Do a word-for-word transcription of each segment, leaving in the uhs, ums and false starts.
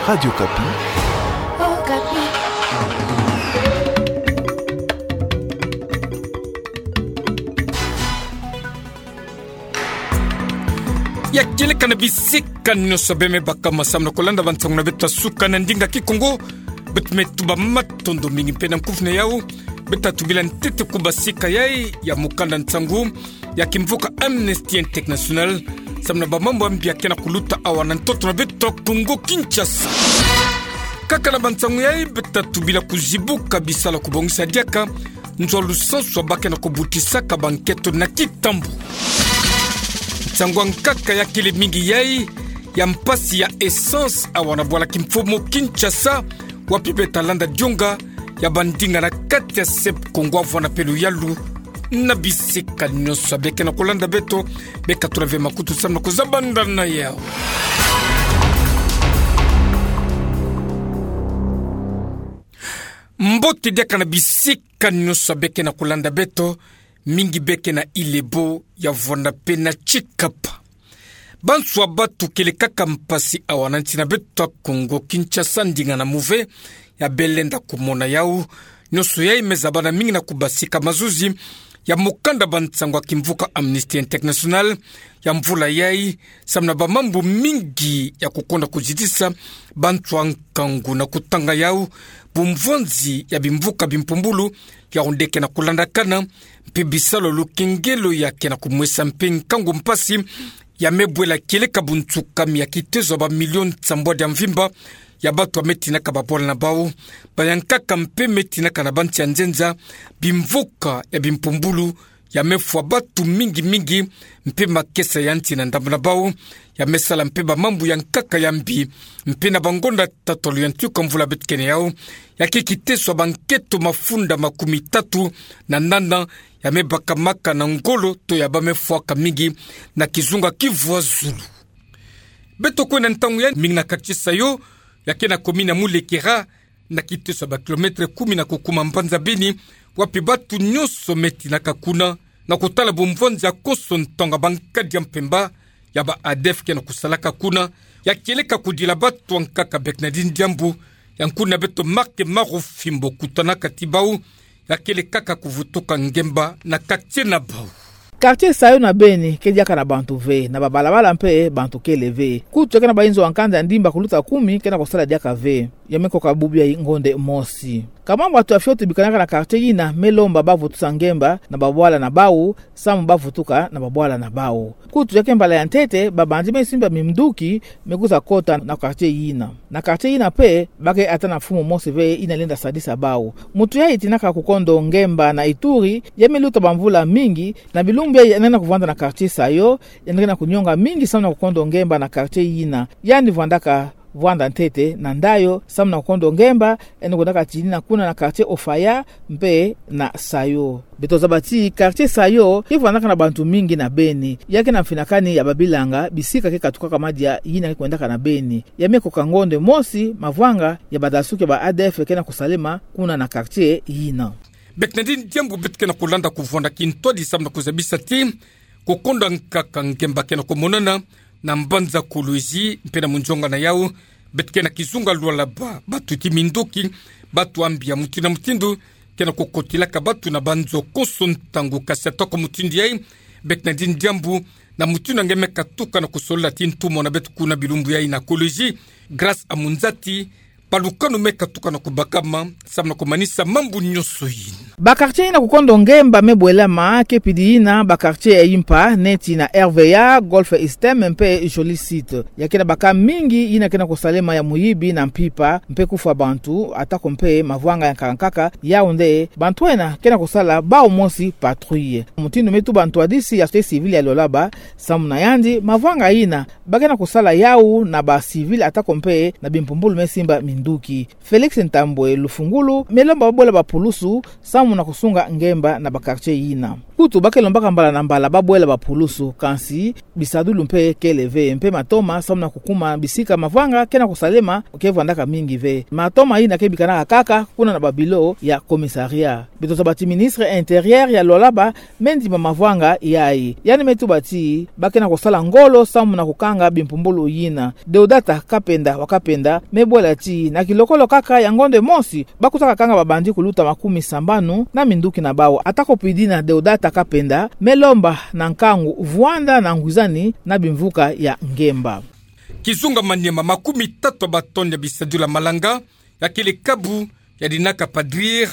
Radio Okapi. Okapi. Ya kieleka na bisika nyonso beme baka masamu na kolanda bansangu na beto ya suka na ndinga Kikongo. Beto me tuba matondo mingi mpe na nkufi na yau. Beto tubila ntete ku basika yai ya mukanda nsangu ya kimvuka Amnesty International, samu na bamambu ya mbi ya kena kuluta awa na ntoto na beto Kongo Kinshasa. Kaka na bansangu yai beto tubila kuzibuka bisalu ya kubongisa diaka nzo ya lusansu ya ba kena kubutisaka banketo na Kitambo. Nsangu ya nkaka ya kele mingi yai ya mpasi ya essence awa na bwala kimfumu Kinshasa, wapi beto landa dionga ya bandinga na kati ya S E P Congo, avwanda mpe luyalu na bisika nyonso. Beke na kolanda beto, beka tula ve makutu samu na kuzabanda na yau. Mbote diaka na bisika nyonso beke na kolanda beto, mingi beke na Ile-Ebo, ya vwanda mpe na Tshikapa. Banso ya batu kele kaka mpasi awa na nsi na beto ya Kongo Kinshasa, ndinga na muve ya bele lenda kumona yau. Nyonso yai me zabana mingi na ku basika mazuzi ya mukanda bansangu ya kimvuka Amnesty International ya mvula yai, samu na bamambu mingi ya kukonda kuzitisa banso ya nkangu na kutanga yau, bumvonzi ya bimvuka bimpumbulu ya onde kena kulandakana, mpe bisalu ya lukengelo ya kena kumwesa mpe nkangu mpasi ya me bwela kieleka buntsukami ya kitezo ya bamilio nsambwadi ya mvimba ya batu ya me tinaka babwala na bau, bayankaka mpe me tinaka na bansi ya nzenza, bimvuka ya bimpumbulu ya me fwa batu mingi mingi, mpe makesa ya nsi na ndambu na bau ya me sala mpe bamambu ya nkaka ya mbi. Mpe na bangonda tatalu ya ntuka mvula beto kele yau, ya ke kitezo ya banketo mafunda makumi tatu na nana ya me bakamaka na ngolo to ya ba me fwaka mingi na kizunga Kivu ya Zulu. Beto kwenda ntangu yai mingi na quartier Sayo, ya ke na commune ya Mulekera, na kitezo ya ba kilomètre kumi na kukuma mbanza Beni, wapi batu nyonso me tinaka kuna na kutala bumvonzi ya konso ntangu ya bankadi ya mpemba ya ba ADF kena kusalaka kuna, ya kieleka kudila batu ya nkaka Bernardine Diambu, ya nkuna beto Marc Marufimbo kutanaka ti bau, ya kele kaka kuvutuka ngemba na quartier na bau. Quartier Sayo na Beni ke diaka na bantu ve, na babalabala mpe bantu kele ve. Kutu ya ke na bainzo ya nkanda ya ndimba kuluta kumi kena kusala diaka ve. Ya me koka bubu yai ngonde mosi. Kama batu ya fioti bikanaka na quartier yina me lomba bavutusa ngemba na babwala na bau, samu bavutuka na babwala na bau. Kutu ya ke mbala ya ntete, babandi me simba minduki me kwiza kota na quartier yina. Na quartier yina mpe, ba ke ata na mfumu mosi ve yina lenda sadisa bau. Muntu yai tinaka kukondo ngemba na Ituri, ya me luta bamvula mingi, na bilumbu yai yandi kuvwanda na quartier Sayo, yandi kena kunyonga mingi samu na kukondo ngemba na quartier yina. Yandi vwandaka vwanda ntete na ndayo samu na kukondo ngemba, yandi kwendaka tinina kuna na quartier Ofaya mpe na Sayo. Beto zaba ti quartier Sayo ke vwandaka na bantu mingi na Beni. Ya ke na mfinakani ya babilanga, bisika ke katukaka madia yina ke kwendaka na Beni. Ya me koka ngonde mosi mavwanga ya badasuki ya ba ADF kena kusalema kuna na quartier yina. Bernardine Diambu, beto kena kulanda kuvwanda kintwadi samu na kuzabisa ti kukondo nkaka ngemba kena kumonana na mbanza Kolwezi mpe na munzonga na yau. Beto kena kizunga Lualaba, batu ti minduki, batu ya mbi ya mutindu na mutindu, kena kukotilaka batu na banzo konso ntangu. Kasi atako mutindu yai, Bernardine Diambu, na mutindu nge me katuka na kusolola ti ntumwa na beto kuna bilumbu yai na Kolwezi, Grâce Amunzati, balukanu me katuka na kubakama samu na kumanisa mambu nyonso yina. Ba quartier yina kukondo ngemba me bwelama ke pidi yina ba quartier ya impa neti na R V A, Golf Eastern mpe Jolie Cité. Ya kena baka mingi yina kena kusalema ya muyibi na mpimpa mpe kufwa bantu, atako mpe mavwanga ya nkaka nkaka. Yau nde bantu ena kena kusala bau mosi patrouille. Mutindu me tuba ntwadisi ya société civile ya Lualaba, samu na yandi mavwanga yina ba kena kusala yau na ba civil atako mpe na bimpumbulu me simba mi nduki. Félix Ntambwe Lufungulu me lomba babwela bapulusu samu na kusunga ngemba na ba quartier yina. Kutu ba ke lombaka mbala na mbala babwela bapulusu, kansi bisadulu mpe kele ve, mpe matoma samu na kukuma bisika mavwanga ke na kusalema ke vwandaka mingi ve. Matoma yina ke bikanaka kaka kuna na ba bureau ya commissariat. Beto tazaba ti ministre intérieur ya Lualaba me ndima mavwanga yayi. Yandi me tuba ti ba ke na kusala ngolo samu na kukanga bimpumbulu yina. Deodata Kapenda wa Kapenda me bwela ti na kilokolo kaka ya ngonde mosi ba kuta kakanga ba bandit kuluta makumi sambanu na minduki na bawu. Atako pidina, Deodata Kapenda me lomba na nkangu vwanda na ngwizani na bimvuka ya ngemba. Kizunga Maniema, makumi tatu ya ba tonnes ya bisadilu ya malanga ya kele kabu ya dinaka PADRIR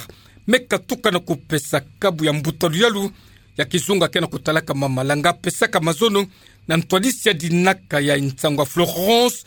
me katuka na kupesa kabu ya mbuta luyalu ya kizunga ke na kutalaka ma malanga pesaka mazono na ntwadisi ya dinaka ya nsangu ya Florence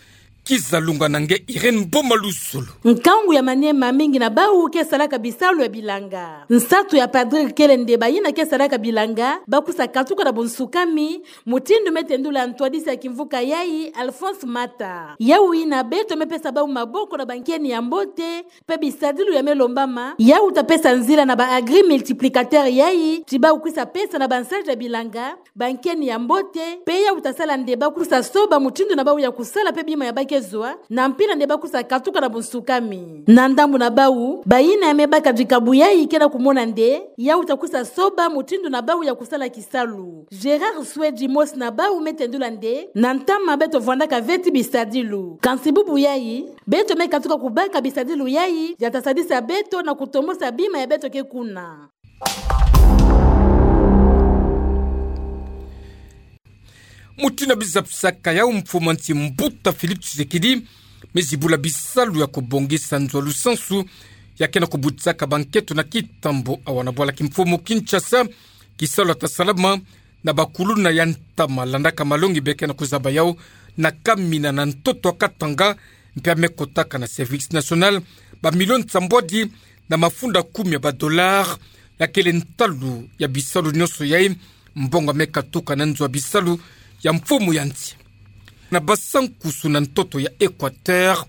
Kizalunga na nge Irène Boma Luzolo. Nkangu ya Maniema, mingi na bawu ke salaka bisalu ya bilanga. Nsatu ya PADRIR kele nde bayina ke salaka bilanga ba kusa katuka na bunsukami, mutindu me tendula ntwadisi ya kimvuka yayi, Alphonse Mata. Yawu yina beto me pesa bawu maboko na bankeni ya mbote, mpe bisadilu ya me lombama, yawu ta pesa nzila na ba agri-multiplicateur yayi ti bawu kusa pesa na bansadi ya bilanga bankeni ya mbote, mpe yawu ta sala nde ba kusa soba mutindu na bawu ya kusala mpe bima ya ba ke zwa, na mpila nde ba kusa katuka na bunsukami. Na ndambu na bawu, bayina ya me baka dikabu yayi ke na kumona nde yawu ta kusa soba mutindu na bawu ya kusala kisalu. Gérard Swedi, mosi na bawu, me tendula nde na ntama beto vwandaka ve ti bisadilu. Kansi bubu yayi, beto me katuka kubaka bisadilu yayi ya ta sadisa beto na kutomosa bima ya beto ke kuna. Mutindu ya bizapisaka yawu, mfumu a nsi mbuta Félix Tshisekedi me zibula bisalu ya kubongisa nzo ya lusansu ya ke na kubutisaka banketo na kitambo awa na bwala kimfumu Kinshasa. Kisalu ya ta salama na bakuluna ya ntama landaka malongi be ke na kuzaba yawu na kamina na ntoto ya Katanga, mpe ya me kotaka na Service National ba millions sambwadi na mafunda kumi ya ba dollars, ya kele ntalu ya bisalu nyonso yayi. Mbongo ya me katuka na nzo ya bisalu ya mfumu ya nsi. Na Bassa-Nkusu na ntoto ya Equateur,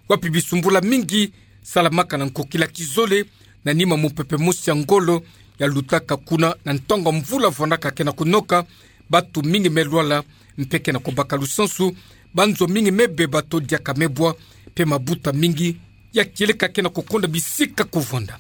wapi bisumbula mingi salamaka na nkokila kizole, na nima mupepe mosi ya ngolo ya lutaka kuna na ntangu ya mvula vwandaka ke na kunoka, bantu mingi me lwala mpe ke na kubaka lusansu, banzo mingi me beba to diaka me bwa, mpe mabuta mingi ya kieleka ke na kukonda bisika kuvwanda.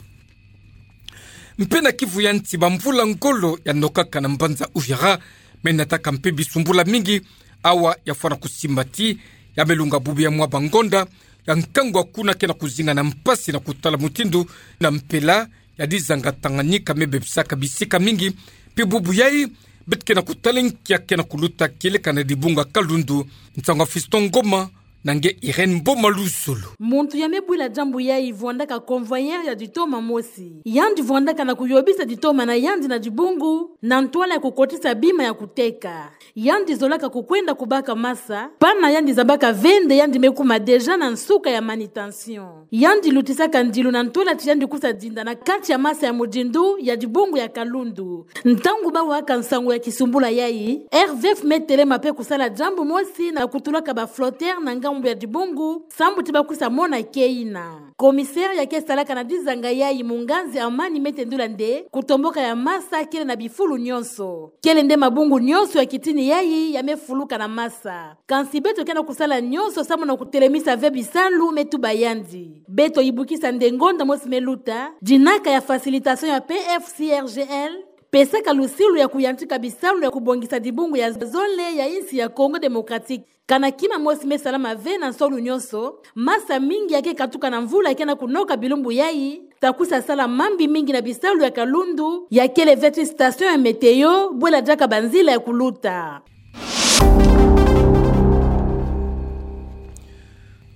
Mpe na Kivu ya nsi, bamvula ngolo ya nokaka na mbanza Uvira me nataka mpe bisumbula mingi. Awa ya fwana kusimba ti ya me lunga bubu ya mwa bangonda ya nkangu ya kuna ke na kuzinga na mpasi na kutala mutindu na mpela ya dizanga Tanganyika me bebisaka bisika mingi. Mpe bubu yayi, beto ke na kutala nki ya ke na kuluta kieleka na dibungu ya Kalundu. Nsangu ya Fiston Ngoma na nge Irène Boma Luzolo. Muntu ya me bwila diambu yayi vwandaka convoyeur ya ditoma mosi. Yandi vwandaka na kuyobisa ditoma na yandi na dibungu na ntwala ya kukotisa bima ya kuteka. Yandi zolaka kukwenda kubaka masa, pana yandi zabaka ve nde yandi me kuma déjà na nsuka ya manutention. Yandi lutisaka ndilu na ntwala ti yandi kusa dinda na kati ya masa ya mudindu ya dibungu ya Kalundu. Ntangu ba waka nsangu ya kisumbula yayi, R V F me telema mpe kusala diambu mosi na kutulaka ba flotteurs na ngambu ya dibungu, sambu ti ba kusa mona ke yina. Commissaire ya ke salaka na dizanga yayi, Munganzi Amani, me tendula nde kutomboka ya masa kele na bifulu nyonso. Kele nde mabungu nyonso ya kitini yayi ya me fuluka na masa. Kansi beto ke na kusala nyonso sambu na kutelemisa ve bisalu, me tuba yandi. Beto yibukisa nde ngonda mosi me luta, dinaka ya facilitation ya P F C R G L pesaka lusilu ya kuyantika bisalu ya kubongisa dibungu ya zole ya insi ya Congo Démocratique. Kana kima mosi me salama ve na nsolu nyonso, masa mingi ya ke katuka na mvula ke na kunoka bilumbu yayi ta kusa sala mambi mingi na bisalu ya Kalundu, ya kele ve ti station ya météo, bwela diaka banzila ya kuluta.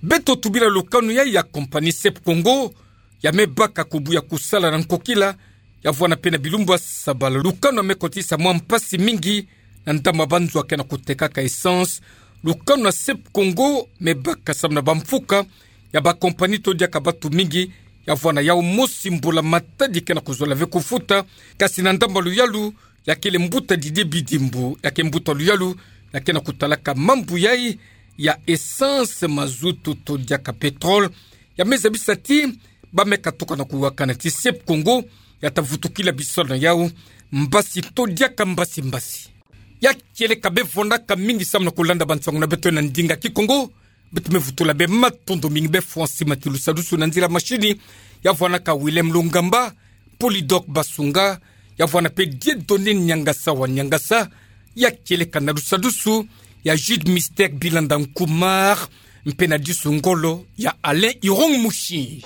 Beto tubila lukanu yayi ya compagnie Sep Congo, ya me baka kubuya kusala na nkokila ya vwanda mpe na bilumbu ya sabala. Lukanu ya me kotisa mwa mpasi mingi na ndambu ya banzo ya ke na kutekaka essence. Lukanu ya Sep Congo me baka sambu na bamfuka ya ba compagnie to diaka bantu mingi ya vwanda yawu mosi mbula matadi ke na kuzola ve kufuta. Kasi na ndambu ya luyalu, ya kele mbuta Didier Bidimbu, ya ke mbuta luyalu ya ke na kutalaka mambu yayi ya essence, mazutu to diaka pétrole, Ya me za bisati, ba me katoka na kuwakana ti SEP Congo, ya ta vutukila biso na yawu, mbasi to diaka mbasi mbasi. Ya kieleka be vonaka mingi samu na kulanda bansango na beto na ndinga Kikongo, beto me vutula be matondo mingi be fwa nsi mati lusadusu na nzila mashini, ya vwanaka Willem Lungamba, Polydor Basunga, ya vwana pe Dieudonné Niangasa wa Niangasa, ya kieleka na lusadusu, ya Jude Mister Bilanda Nkumar, mpe na disu ngolo, ya Alain Irong Mushi.